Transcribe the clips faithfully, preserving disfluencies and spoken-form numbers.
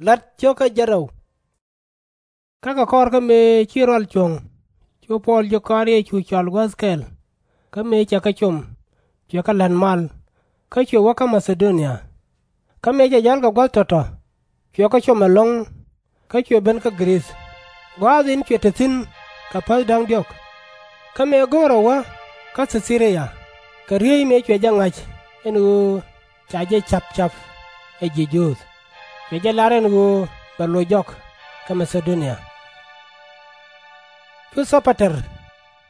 La̱t cio̱kä jiɛn rɛw. Kä kɛ kɔr kä mëë ci rɔal cuɔ̱ŋ, cu Puɔl jiök kɔaar Yecu cɔal guäth kɛl. Kä mëë cɛ kɛ com, cuɛ kɛ la̱t mal, kä cuɛ wä kä Ma-tha-do-nia. Kä mëë cɛ jäl kɛ gua̱th tɔ̱tɔ̱, cuɛ kɛ com ɛlɔ̱ŋ, kä cuɛ ben kä Gɛ-rith, gua̱a̱th in cuɛ te thi̱n kɛ päth da̱ŋ diɔ̱k. Kä mëë go̱o̱rɛ wä kä Thi-thi-ri-ya, kɛ riey mëë cuɛ jɛ ŋa̱c ɛn ɣöö ca jɛ ca̱p ca̱p ɛ ji̱ Juudh, cuɛ jɛ lar ɛn ɣöö bɛ loc jɔk kä Ma-tha-do-nia. Cu Thɔ-pa-ter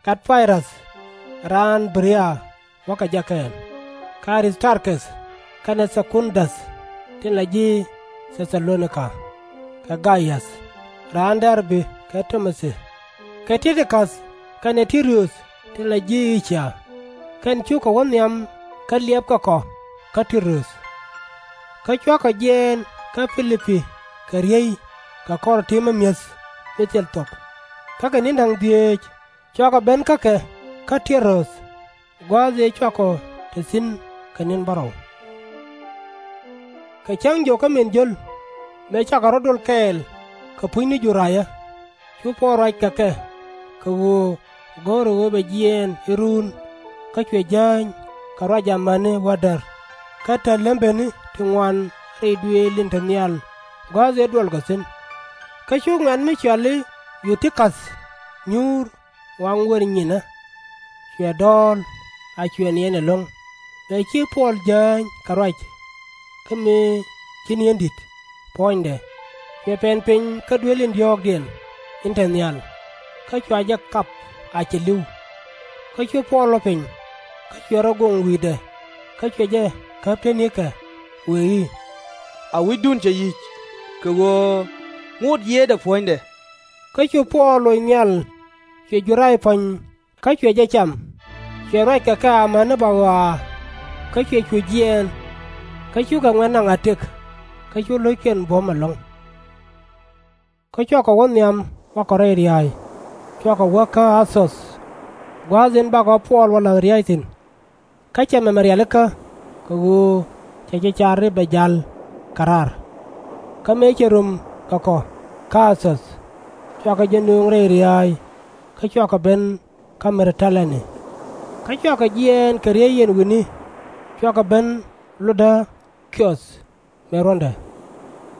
gat Pay-räth raan Bɛ-ri-yaa wä kɛ jɛ kɛɛl, kɛ A-ri-th-tar-keth kɛnɛ Thɛ-kun-dath tin la ji̱ Thɛ-tha-lo-ni-ka, kɛ Gay-äth raan Dɛr-bi kɛ Ti-mo-thi, kɛ Ti-ki-käth kɛnɛ Ti-ru-th tin la ji̱ Ii-cia. Kɛn cukɛ wä nhiam kä liɛpkɛ kɔ kä Ti-ru-th. Kä cuakɔ jiɛɛn kä Pi-li-pi kɛ riey kɛ kɔr ti̱i̱ mi mi̱eth mi thil thuɔ̱k. Kä kɛ ni̱n da̱ŋ dhieec cuakɔ ben kä kɛ kä Ti-ro-ath, gua̱a̱th ëë cuakɔ te thi̱n kɛ ni̱n bärɔw. Kɛ cäŋ jiök kä min jio̱l, mëë cakɔ rɔ̱ dol kɛɛl kɛ puc ni Judayä, cu Puɔl ruac kɛ kɛ, kɛ ɣöö go̱o̱rɛ ɣöö bɛ jiɛɛn i̱ ruun, kä cuɛ jääny kɛ ruac amäni wädäär, kä täl lembeni ti ŋuan rɛy duëël in te nhial gua̱a̱th ëë duɔlkɔ thi̱n. Kä cu ŋuɛ̈t mi cɔal i̱ Yu-ti-käth nyuur waŋ wër nyinä, cuɛ dɔɔl, a cuɛ niɛn ɛlɔ̱ŋ, mëë ci Puɔl jääny kɛ ruac, kä mëë ci ni̱eeŋ di̱t puɔ̱nydɛ, cuɛ pɛn piny kä duëël in diɔ̱ɔ̱kdiɛn in te nhial, kä cua jɛ kap a cɛ li̱w. Kä cu Puɔl lɔ piny, kä cuɛ rɔ goŋ wi̱i̱dɛ, kä cuɛ jɛ käp tenikä, wëë i̱, A wi̱cdun cɛ yi̱c, kɛ ɣöö ŋot yiëëdɛ puɔ̱nydɛ. Kä cu Puɔl loc nhial, cuɛ Juday puɔ̱ny, kä cuɛ jɛ cam, cuɛ ruac kɛ kɛ amäni ba ɣɔaa, kä cuɛ cu jiɛɛn. Kä cukɛ ŋuɛ̈t naŋ a tëk, kä cu lo̱ckiɛn buɔ̱m ɛlɔ̱ŋ. Kä cuakɔ wä nhiam wakɔ rɛy ria̱a̱y, cuakɔ wä kä A-thoth, gua̱a̱th in bakɔ Puɔl wä la̱th ria̱a̱c thi̱n. Kä cɛ mɛmɛ rialikä, kɛ ɣöö cɛ jɛ car i̱ bɛ ja̱l kɛ raar. Kä mëë cɛ rom kɛ kɔ kä A-thoth, cuakɛ jɛ nööŋ rɛy ria̱a̱y, kä cuakɔ ben kä Mɛ-di-tä-lɛ̈n-ni. Kä cuakɔ jiɛɛn kɛ riey yɛn wi̱ni, cuakɔ ben Lu-da-ki-oth mëë ruɔ̱ndɛ.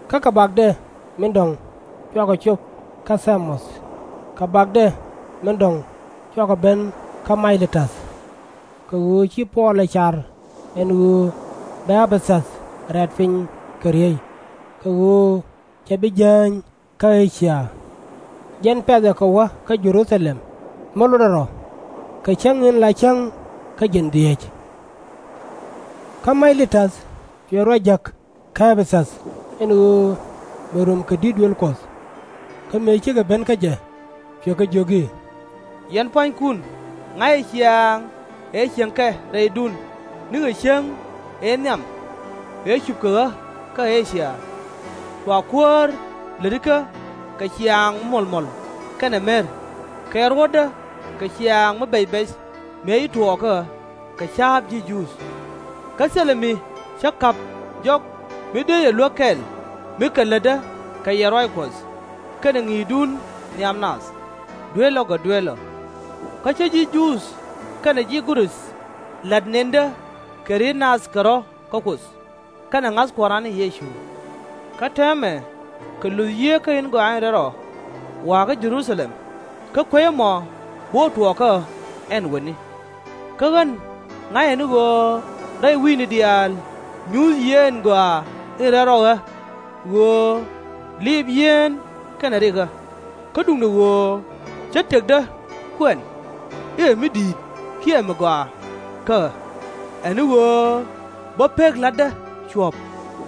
Kä kɛ bakdɛ min dɔ̱ŋ cuakɔ cop kä Tha-moth, kɛ bakdɛ min dɔ̱ŋ cuakɔ ben kä May-li-täth. Kɛ ɣöö ci Puɔl ɛ car ɛn ɣöö bɛ Ɛ-pɛ-thäth rɛ̈t piny kɛ riey, kɛ ɣöö cɛ bi jääny kä E-cia. Jɛn pɛ̈thɛ kɛ wä kä Jɛ-ru-tha-lɛm mi lotdɛ rɔ, kɛ cäŋ in la cäŋ kä jiɛn dhieec. Kä May-li-täth cuɛ ruac jäk kä Ɛ-pɛ-thäth ɛn ɣöö bɛ rom kɛ di̱t duëël Kuɔth. Kä mëë cikɛ ben kä jɛ, cuɛ kɛ jiök i̱, Yɛn pua̱nykun, ŋa̱cɛ ciaaŋ ëë cieŋkɛ rɛydun nikɛ cäŋ ëë nhiam ëë cupkɛ ɣä kä E-cia. Cua Kuäär lätikä kɛ ciaaŋ mi muɔ̱lmuɔ̱l kɛnɛ mer, kɛ ruɔ̱tdä kɛ ciaaŋ mi bɛc bɛc mëë ci tuɔɔk kä ɣä kɛ ca̱a̱p ji̱ Juudh. Kä thilɛ mi cä ka̱p jɔk mi dee yɛ luäk kɛl mi kɛ lätdä kɛ yɛn ruac Kuɔth kɛnɛ ŋi̱i̱cdun nhiam naath, duel ɔ kɛ duel ɔ. Kä cä ji̱ Juudh kɛnɛ ji̱ Gɛ-rith la̱t nëndä kɛ ri̱t naath kɛ rɔ̱ kä Kuoth, kɛnɛ ŋa̱th Kua̱ran ni Yecu. Kä täämɛ kɛ luth Yiëë kä in Gɔaa in Rɛl Rɔ wa̱a̱ kä Jɛ-ru-tha-lɛm, kä kuecä mɔ bi wä tuɔɔk kä ɣä ɛn wäni. Kä ɣän ŋa̱cä ni ɣöö rɛy wi̱i̱ni diaal nyuuth Yiëë in Gɔaa in Rɛl Rɔ ɣä, ɣöö liip yien kɛnɛ rik ɣä. Kä duundɛ ɣöö cä tëkdä kuɛn i̱ ɛ mi di̱i̱t kiɛ mi gɔaa kä ɣä, ɛ ni ɣöö bä pek la̱tdä cuɔ̱p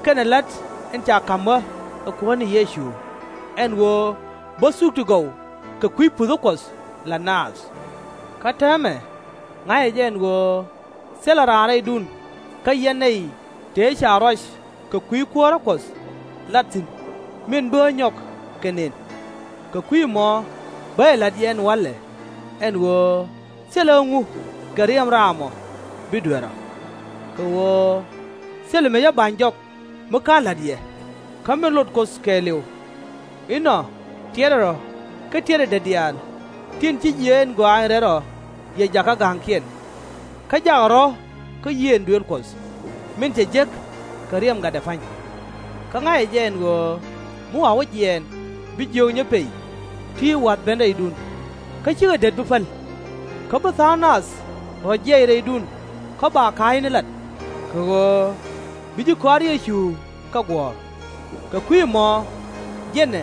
kɛnɛ la̱t in ca ka̱m ɣä ɛ Kuäär ni Yecu, ɛn ɣöö bä thuk ti gɔw kɛ kui̱ puthä Kuɔth la̱t naath. Kä täämɛ ŋa̱cä jɛ ɛn ɣöö thilɛ raan rɛydun kä yɛn nɛy tëë ca ruac kɛ kui̱ kuäärä Kuɔth lat thi̱n min bi ɣä nyɔk kɛ nën. Kɛ kui̱ ɛmɔ bä jɛ la̱t yɛ ɛn walɛ, ɛn ɣöö thilɛ ɣä ŋu kɛ riɛm raam ɔ bi duer ɔ. Kɛ ɣöö thilɛ mi cä ba̱ny jɔk mi /ka̱n la̱t yɛ, Kä min lot Kuɔth kɛɛliw, inɔ tiɛtdɛ rɔ̱ kä tiɛtdɛ det diaal tin ci jiɛɛn gɔaany rɛl rɔ yɛ jakä ga̱a̱ŋkiɛn. Kä jakɛ rɔ̱ kä yiëë in duëël Kuɔth, min cɛ jek kɛ riɛm gatdɛ pa̱ny. Kä ŋa̱cɛ jɛ ɛn ɣöö mi wa wä jiɛɛn, bi jiök nyɛ pey ti wa̱th ben rɛydun, kä /cikɛ det bi päl. Kä bi tha̱a̱ŋ nath rɔ jiɛc rɛydun kä ba ka̱a̱cni lat, kɛ ɣöö bi ji̱ kɔaar Yecu kɛ guɔ̱ɔ̱r. Kɛ kui̱ ɛmɔ, jɛnɛ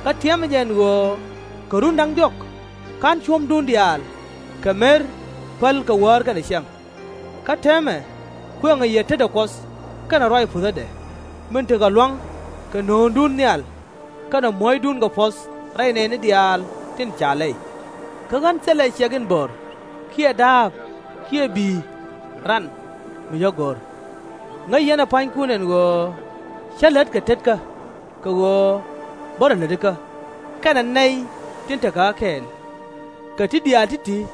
kä tiɛmɛ jɛ ɛn ɣöö kɛ run da̱ŋ diɔ̱k /ka̱n cuɔ̱mdun diaal kɛ mer päl kɛ wäär kɛnɛ cäŋ. Kä täämɛ kuëŋɛ yɛ tetdɛ Kuɔth kɛnɛ ruac puthädɛ, min tekɛ lua̱ŋ kɛ nööŋdun nhial kɛnɛ muɔ̱cdun kɛ puɔ̱th rɛy nɛɛni diaal tin ca lɛy. Kä ɣän thilɛ ciɛk in bo̱r, kiɛ da̱a̱p, kiɛ bi̱i̱, ran, mi cä go̱r. Ŋäc yɛn ɛ pua̱nykun ɛn ɣöö cä lät kɛ tetkä, kɛ ɣöö bä rɔ lätikä, kɛnɛ nɛy tin tekɛ ɣä kɛɛl. Kɛ ti diaal ti̱ti̱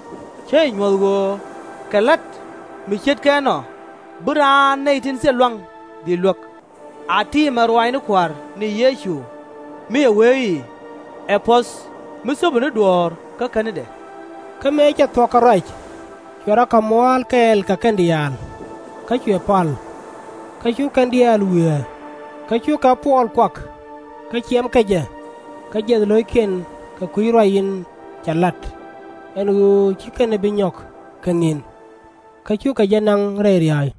cä jɛ nyuɔ̱th ɣöö kɛ la̱t mi ce̱tkɛ ɛnɔ bi raan nɛy tin thil lua̱ŋ dhil luäk. A ti mɛ ruaacni Kua̱r ni Yecu, mi cɛ wee i̱, Ɛ puɔ̱th mi thöpi ni duɔ̱ɔ̱r kä känidan. Kä mëë cɛ thuɔ̱k kɛ ruac, cuɛ rɔ kɛ mua̱a̱l kɛɛl kɛ kɛn diaal, kä cuɛ pal. Kä cu kɛn diaal wiee, kä cukɛ Puɔl kuak, kä ciɛmkɛ jɛ, kä jiɛth lo̱ckiɛn kɛ kui̱ ruac in cɛ la̱t, ɛn ɣöö /ci kɛn ɛ bi nyɔk kɛ ni̱n. Kä cukɛ jɛ naŋ rɛy ria̱a̱c.